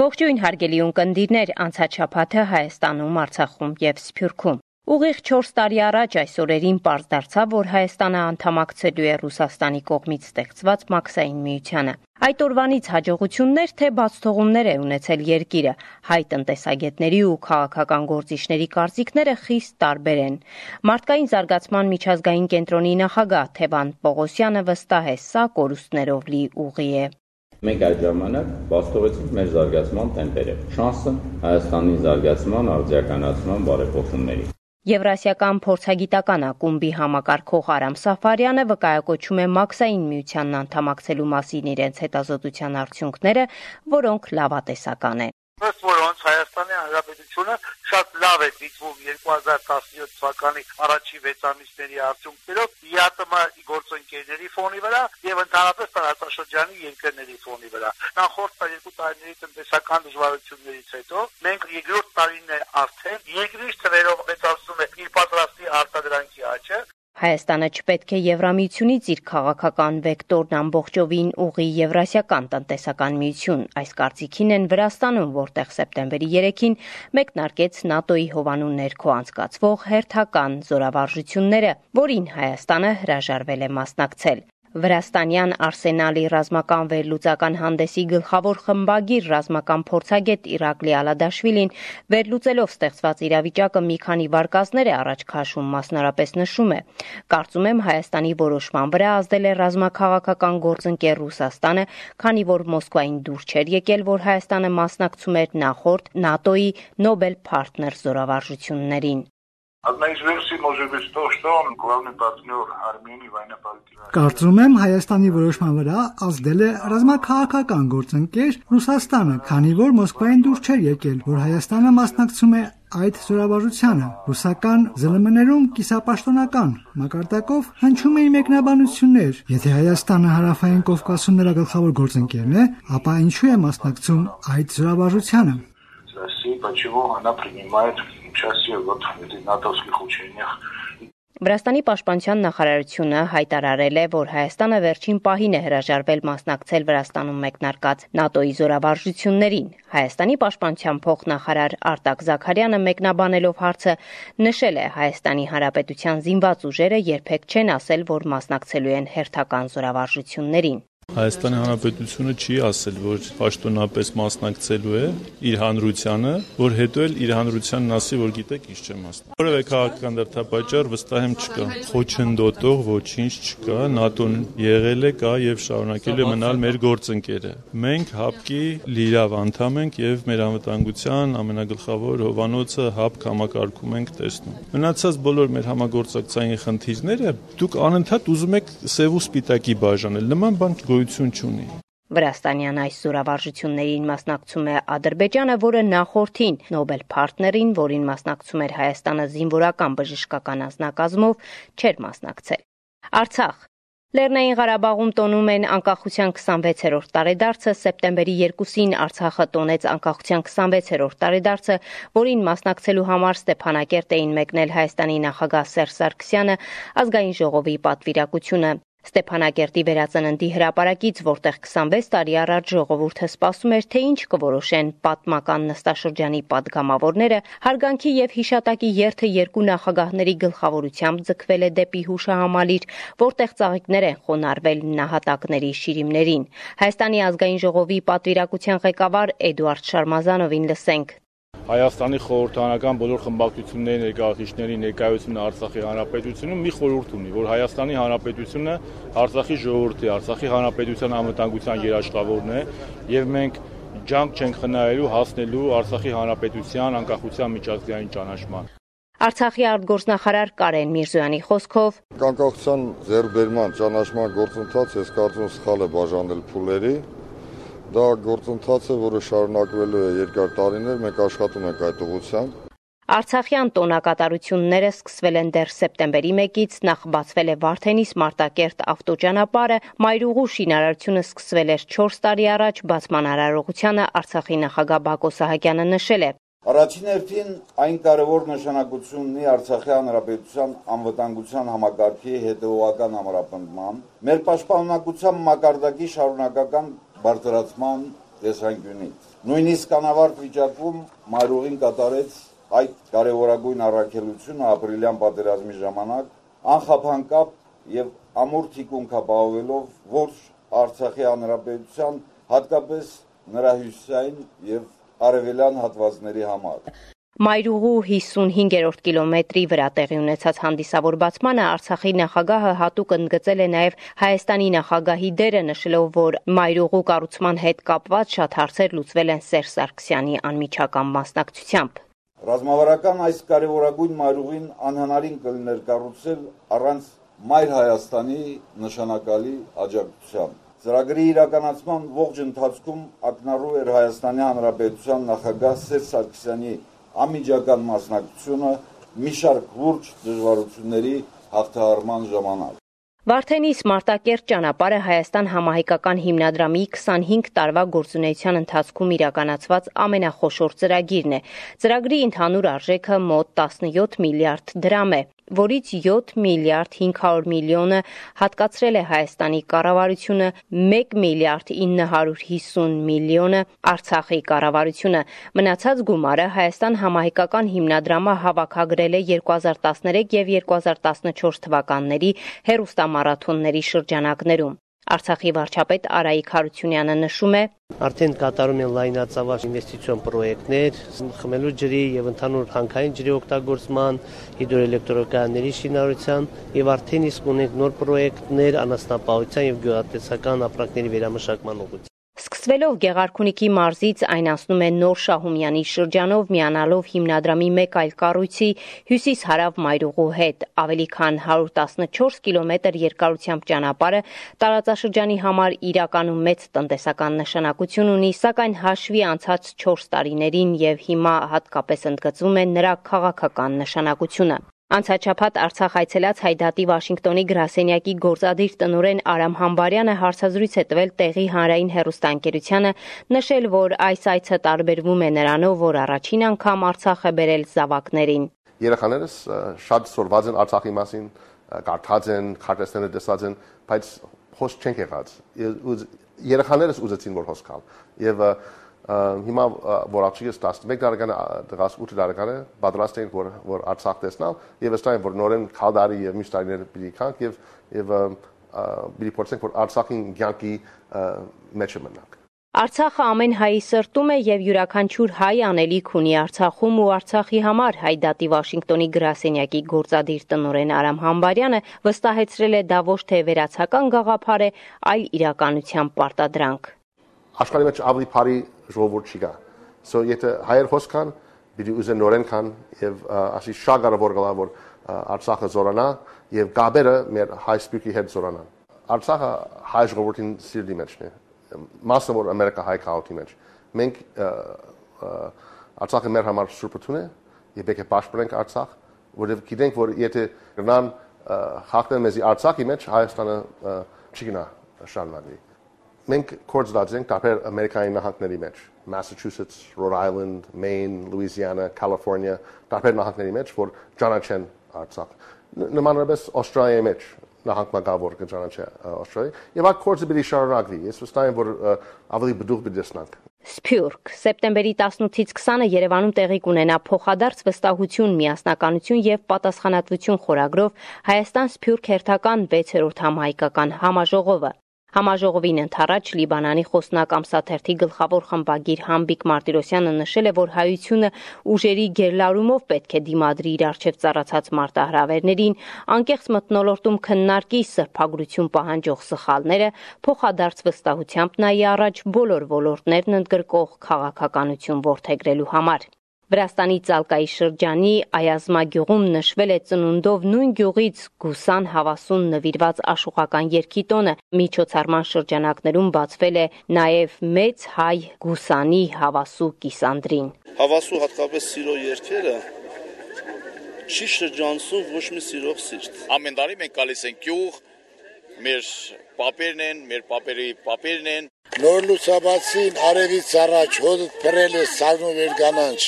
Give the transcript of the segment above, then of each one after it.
Ողջույն հարգելի ունկնդիրներ, անցած շաբաթը Հայաստանում, Արցախում եւ Սփյուռքում։ Ուղիղ 4 տարի առաջ այս օրերին պարզ դարձավ, որ Հայաստանը անդամակցելու է Ռուսաստանի կողմից ստեղծված Մաքսային միությանը։ Այդ օրվանից հաջողություններ թե բացթողումներ է ունեցել երկիրը, հայ տնտեսագետների ու քաղաքական գործիչների կարծիքները խիստ տարբեր են։ Մարդկային զարգացման միջազգային կենտրոնի նախագահ Թևան Պողոսյանը վստահ է, սա կորուստներով լի ուղի է։ Մենք այդ ժամանակ բացթողեցինք մեր զարգացման տեմպերը, շանսը Հայաստանի զարգացման, արդիականացման բարեփոխումների։ Եվրասիական փորձագիտական ակումբի համակարգող Արամ Սաֆարյանը վկայակոչում է Մաքսային միությանն անդամակցելու մասին իրենց հետազոտության արդյունքները, որոնք լավատեսական են։ Ըստ որոնց Հայաստանի Հանրապետությունը շատ լավ է դիտվում 2017 թվականի առաջին 6 ամիսների արդյունքներով ԵԱՏՄ գործընկերների ֆոնի վրա եւ ընդհանրապես տարածաշրջանի երկրների ֆոնի վրա։ Նախորդ 2 տարիների տնտեսական դժվարություններից հետո մենք երկրորդ տարին է արդեն երկրի թվերով մեծացնում է իր պատրաստի արտադրանքի աճը։ Հայաստանը չպետք է Եվրամիությունից իր քաղաքական վեկտորն ամբողջովին ուղի Եվրասիական տնտեսական միություն։ Այս կարծիքին են Վրաստանում, որտեղ սեպտեմբերի 3-ին մեկնարկեց ՆԱՏՕ-ի հովանու ներքո անցկացվող հերթական զորավարժությունները, որին Հայաստանը հրաժարվել է մասնակցել։ Վրաստանյան Արսենալի ռազմական վերլուծական հանդեսի գլխավոր խմբագիր ռազմական փորձագետ Իրակլի Ալադաշվիլին վերլուծելով ստեղծված իրավիճակը մի քանի վարկածներ է առաջ քաշում, մասնարարպես նշում է. Կարծում եմ Հայաստանի որոշման վրա ազդել է ռազմաքաղաքական գործընկեր Ռուսաստանը, քանի որ Մոսկվային դուր չէր եկել, որ Հայաստանը մասնակցում էր նախորդ ՆԱՏՕ-ի Nobel Partner զորավարժություններին։ Одна из версий может быть то, что он главный партнер Армении в военно-политической. Կարծում եմ Հայաստանի որոշման վրա ազդել է ռազմաքաղաքական գործընկեր Ռուսաստանը, քանի որ Մոսկվային դուր չէր եկել, որ Հայաստանը մասնակցում է այդ զորավարժությանը։ Ռուսական ԶԼՄ-ներում կիսապաշտոնական մակարդակով հնչում էին մեկնաբանություններ։ Եթե Հայաստանը Հարավային Կովկասում նրա գլխավոր գործընկերն է, ապա ինչու է մասնակցում այդ զորավարժությանը։ Վրաստանի պաշտպանության նախարարությունը հայտարարել է, որ Հայաստանը վերջին պահին է հրաժարվել մասնակցել Վրաստանում մեկնարկած ՆԱՏՕ-ի զորավարժություններին։ Հայաստանի պաշտպանության փոխնախարար Արտակ Զաքարյանը մեկնաբանելով հարցը նշել է Հայաստանի Հանրապետության զինված ուժերը երբեք չեն ասել, որ մասնակցելու են հերթական զորավարժություններին։ Հայաստանի Հանրապետությունը չի ասել, որ պաշտոնապես մասնակցելու է իր հանրությանը, որ հետո էլ իր հանրությանն ասի, որ գիտեք, ինչ չեմ մասնակցել։ Որևէ քաղաքական դրդապատճառ վստահ եմ չկա։ Խոչընդոտող ոչինչ չկա, ՆԱՏՕ-ն եղել է, կա եւ շարունակելու է մնալ մեր գործընկերը։ Մենք ՀԱՊԿ-ի լիիրավ անդամ ենք եւ մեր անվտանգության ամենագլխավոր հովանոցը ՀԱՊԿ համակարգում ենք տեսնում։ Մնացած բոլոր մեր համագործակցային խնդիրները դուք անընդհատ ուզում եք սև ու սպիտակի բաժանել։ Նման բան գոյություն չունի։ Վրաստանյան այս զորավարժություններին մասնակցում է Ադրբեջանը, որը նախորդին Nobel Partner-ին, որին մասնակցում էր Հայաստանը զինվորական բժշկական անձնակազմով, չէր մասնակցել։ Արցախ Լեռնային Ղարաբաղում տոնում են անկախության 26-րդ տարեդարձը, սեպտեմբերի 2-ին Արցախը տոնեց անկախության 26-րդ տարեդարձը, որին մասնակցելու համար Ստեփանակերտ էին մեկնել Հայաստանի նախագահ Սերժ Սարգսյանը, ազգային ժողովի պատվիրակությունը։ Ստեփանակերտի վերածննդի հրապարակից, որտեղ 26 տարի առաջ ժողովուրդը սպասում էր, թե ինչ կորոշեն պատմական նստաշրջանի պատգամավորները, հարգանքի եւ հիշատակի երթը երկու նախագահների գլխավորությամբ ձգվել է դեպի հուշահամալիր, որտեղ ծաղիկներ են խոնարհվել նահատակների շիրիմներին։ Հայաստանի ազգային ժողովի պատվիրակության ղեկավար Էդուարդ Շարմազանովին լսենք։ Հայաստանի խորհրդարանական բոլոր խմբակցությունների ներկայացուցիչների ներկայությունը Արցախի Հանրապետությունում մի խորհուրդ ունի, որ Հայաստանի Հանրապետությունը Արցախի ժողովրդի, Արցախի Հանրապետության անվտանգության երաշխավորն է եւ մենք ջանք չենք խնայելու հասնելու Արցախի Հանրապետության անկախության միջազգային ճանաչման։ Արցախի արտգործնախարար Կարեն Միրզոյանի խոսքով անկախության ձեռքբերման ճանաչման գործընթացը ես կարծում եմ սխալ է բաժանել փուլերի։ Դա գործընթաց է, որը շարունակվելու է երկար տարիներ, մենք աշխատում ենք այդ ուղղությամբ։ Արցախյան տոնակատարությունները սկսվել են դեռ սեպտեմբերի 1-ից, նախ բացվել է Վարդենիս Մարտակերտ ավտոճանապարհը, Մայրուղու շինարարությունը սկսվել էր 4 տարի առաջ, բացման արարողությանը Արցախի նախագահ Բակո Սահակյանը նշել է. Առաջին հերթին այն կարևոր նշանակություն ունի Արցախի Հանրապետության անվտանգության համակարգի հետևողական ամրապնդման, մեր պաշտպանունակության մակարդակի շարունակական բարձրացման տեսանկյունից։ Նույնիսկ անավարտ վիճակում մայրուղին կատարեց այդ կարևորագույն առաքելությունը ապրիլյան պատերազմի ժամանակ անխափանկապ եւ ամուր թիկունք ապահովելով ողջ Արցախի հանրապետության, հատկապես նրա հյուսիսային եւ արևելյան հատվածների համար։ Մայրուղու 55-րդ կիլոմետրի վրա տեղի ունեցած հանդիսավոր բացմանը Արցախի նախագահը հատուկ ընդգծել է նաև Հայաստանի նախագահի դերը, նշելով, որ Մայրուղու կառուցման հետ կապված շատ հարցեր լուծվել են Սերժ Սարգսյանի անմիջական մասնակցությամբ։ Ռազմավարական այս կարևորագույն մայրուղին անհնարին կլիներ կառուցել առանց Մայր Հայաստանի նշանակալի աջակցության։ Ծրագրի իրականացման ողջ ընթացքում ակնառու էր Հայաստանի Հանրապետության նախագահ Սերժ Սարգսյանի անմիջական մասնակցությունը մի շարք լուրջ դժվարությունների հաղթահարման ժամանակ։ Վարդենիս Մարտակերտ ճանապարհը Հայաստան համահայկական հիմնադրամի 25 տարվա գործունեության ընթացքում իրականացված ամենախոշոր ծրագիրն է։ Ծրագրի ընդհանուր արժեքը մոտ 17 միլիարդ դրամ է, որից 7 միլիարդ 500 միլիոնը հատկացրել է Հայաստանի կառավարությունը, 1 միլիարդ 950 միլիոնը Արցախի կառավարությունը։ Մնացած գումարը Հայաստան համահայկական հիմնադրամը հավաքագրել է 2013 եւ 2014 թվականների հեռուստամարաթոնների շրջանակներում։ Արցախի վարչապետ Արայիկ Հարությունյանը նշում է. Արդեն կատարում են լայնածավալ ինվեստիցիոն պրոյեկտներ, խմելու ջրի եւ ընդհանուր հանքային ջրի օգտագործման, հիդրոէլեկտրակայանների շինարարության եւ արդեն իսկ ունենք նոր պրոյեկտներ անասնապահության եւ գյուղատնտեսական ապրանքների վերամշակման ուղղությամբ։ Սկսվելով Գեղարքունիքի մարզից այն անցնում է Նոր Շահումյանի շրջանով, միանալով հիմնադրամի մեկ այլ կառույցի հյուսիս-հարավ Մայրուղու հետ։ Ավելի քան 114 կիլոմետր երկարությամբ ճանապարհը տարածաշրջանի համար իրականում մեծ տնտեսական նշանակություն ունի, սակայն հաշվի անցած 4 տարիներին եւ հիմա հատկապես ընդգծվում է նրա քաղաքական նշանակությունը։ Անցաչափած Արցախ այցելած Հայդատի Վաշինգտոնի գրասենյակի գործադիր տնօրեն Արամ Համբարյանը հարցազրույց է տվել տեղի հանրային հեռուստաընկերությանը, նշել, որ այս այցը տարբերվում է նրանով, որ առաջին անգամ Արցախ է բերել զավակներին։ Երեխաներս շատ սորված են Արցախի մասին, կարդաց են, քարտեզները տեսած են, բայց հոս չեն եղած։ Երեխաներս ուզեցին որ հոս գալ։ Եվ հիմա որ աղջիկս 11 տարեկան է, դղաս 8 տարեկան է, պատրաստ ենք որ Արցախ տեսնալ եւ վստահ եմ որ նորեն քալդարի եւ մյուս տարիներ պիտի կանք եւ պիտի փորձենք որ Արցախին ցանկի մեջ մնանք։ Արցախը ամեն հայի սրտում է եւ յուրաքանչյուր հայ անելիք ունի Արցախում ու Արցախի համար, Հայդատի Վաշինգտոնի գրասենյակի գործադիր տնօրեն Արամ Համբարյանը վստահեցրել է դա ոչ թե վերացական գաղափար է, այլ իրականության պարտադրանք։ Աշխարհի մեջ ավելի բարի ժողովուրդ չկա։ So եթե հայեր հոս կան, պիտի ուզեն նորեն կան եւ ասի շատ կարեւոր գլա որ Արցախը զորանա եւ գաբերը մեր հայ սպյուրքի հետ զորանան։ Արցախը հայ ժողովրդին սիրտի մեջն է։ Մասը որ Ամերիկա հայ քաղաքի մեջ։ Մենք Արցախը մեր համար սուրբություն է եւ պետք է պաշտպանենք Արցախ, որովհետեւ գիտենք որ եթե գնան հաղթեն մեզի Արցախի մեջ Հայաստանը չգնա շարունակվի։ Մենք կորձած ենք տարբեր Ամերիկայի նահանգների մեջ, Massachusetts, Rhode Island, Maine, Louisiana, California, տարբեր նահանգների մեջ, որ ճանաչեն Արցախ։ Նմանապես Ավստրալիայի մեջ նահանգ մագավոր կճանաչի Ավստրալիա, եւ այդ կորձը պիտի շարունակվի։ Ես վստահ եմ, որ ավելի բդուղ պիտի տեսնանք։ Սփյուռք Սեպտեմբերի 18-ից 20-ը Երևանում տեղի կունենա փոխադարձ վստահություն, միասնականություն եւ պատասխանատվություն խորագրով Հայաստան Սփյուռք հերթական 6-րդ համահայկական համաժողովը։ Համաժողովին ընթառաջ Լիբանանի խոսնակ ամսաթերթի գլխավոր խմբագիր Համբիկ Մարտիրոսյանը նշել է, որ հայությունը ուժերի գերլարումով պետք է դիմադրի իր առջև ծառացած մարտահրավերներին, անկեղծ մթնոլորտում քննարկի սրբագրություն պահանջող սխալները, փոխադարձ վստահությամբ նայի առաջ բոլոր ոլորտներն ընդգրկող քաղաքականություն որդեգրելու համար։ Վրաստանի Ծալկայի շրջանի Այազմա գյուղում նշվել է ծնունդով նույն գյուղից Գուսան Հավասուն նվիրված աշխուղական երգի տոնը։ Միջոցառման շրջանակներում բացվել է նաև մեծ հայ Գուսանի Հավասու կիսանդրին։ Հավասու հատկապես սիրո երգերը չի շրջանցում ոչ մի սիրող սիրտ։ Ամեն տարի մենք գալիս ենք գյուղ, մեր պապերն են, մեր պապերի պապերն են։ Նոր լուսաբացին արևից առաջ հոդը փռել է սարնու վեր կանանչ։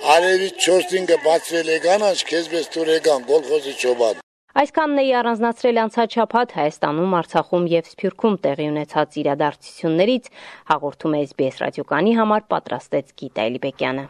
Արևից 4-5-ը բացվել է կանանչ, քեզ մեզ տուրեգան գոլխոզի ճոբան։ Այսքանն էի առանձնացրել անցած շաբաթ Հայաստանում, Արցախում եւ Սփյուռքում տեղի ունեցած իրադարձություններից, հաղորդում է SBS ռադիոկայանի համար պատրաստեց Գիտա Էլիբեկյանը։